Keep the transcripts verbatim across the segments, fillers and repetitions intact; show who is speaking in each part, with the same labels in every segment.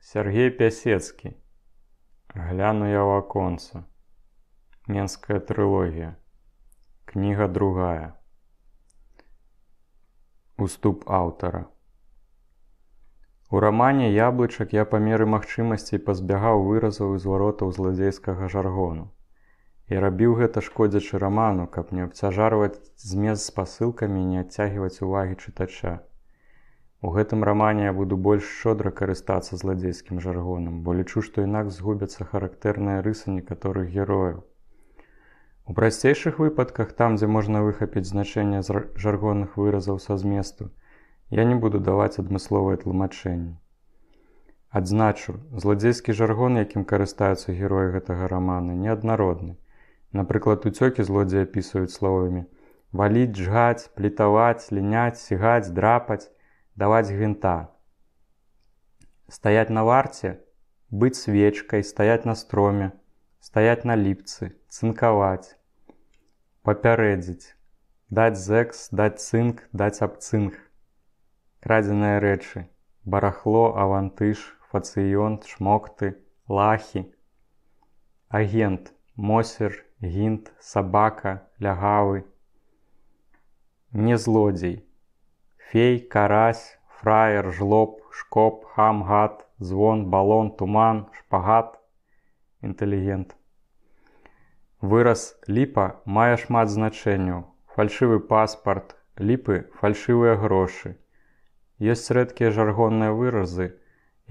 Speaker 1: Сергей Пясецкі. Гляну я ў аконца. Менская трылогія. Кніга другая. Уступ аўтара. У рамане «Яблычак» я па меры магчымасцей пазбягаў выразаў і зваротаў зладзейскага жаргону. І рабіў гэта шкодзячы раману, каб не абцяжарваць змест з спасылкамі і не адцягваць увагі чытача. У гэтым рамане я буду больш шчодра карыстацца зладзейскім жаргонам, бо лічу, што інакш згубяцца характэрныя рысы некаторых герояў. У прасцейшых выпадках, там, дзе можна выхапіць значэнне жаргонных выразаў са зместу, я не буду даваць адмысловыя тлумачэнні. Адзначу, зладзейскі жаргон, якім карыстаюцца героі гэтага рамана, неаднародны. Напрыклад, уцёкі злодзеі апісваюць словамі «валіць», «жгаць», «плітаваць», «ліняць», «сігаць», «драпаць», «даваць гвинта». Стаять на варце, быць свечкай, стаять на строме, стаять на ліпцы, цынкаваць, папярэдзіць, даць зэкс, даць цынк, даць абцынк. Крадзеныя рэчы, барахло, авантыж, фацыён, шмокты, лахі. Агент, мосер, гінт, сабака, лягавы. Не злодзей. Фей, карась, фраер, жлоб, шкоп, хам, гад, звон, балон, туман, шпагат, інтэлігент. Выраз «ліпа» мае шмат значэнняў. Фальшывы паспарт, ліпы – фальшывыя грошы. Ёсць рэдкія жаргонныя выразы,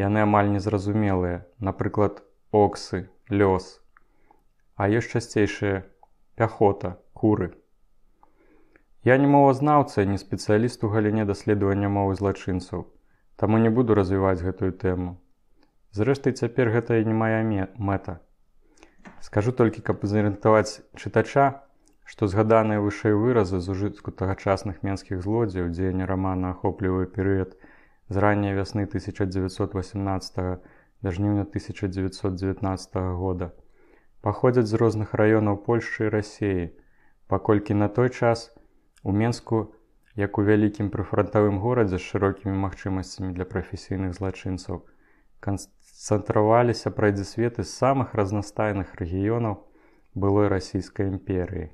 Speaker 1: яны амаль незразумелыя, напрыклад, оксы, лёс. А ёсць часцейшыя пяхота, куры. Я не мовазнаўца і не спецыяліст у галіне даследавання мовы злачынцаў, таму не буду развіваць гэтую тэму. Зрэшты, цяпер гэта і не мая мэта. Скажу толькі, каб зарыентаваць чытача, што згаданыя вышэй выразы з ужытку тагачасных менскіх злодзеяў, дзеянне рамана ахоплівае перыяд з ранняй вясны тысяча дзевяцьсот васямнаццатага да жніўня тысяча дзевяцьсот дзевятнаццатага года, паходзяць з розных раёнаў Польшчы і Расіі, паколькі на той час у Менску, як у вялікім прыфрантавым горадзе з шырокімі магчымасцямі для прафесійных злачынцаў, канцэнтраваліся прайдзісветы з самых разнастайных рэгіёнаў былой Расійскай імперыі.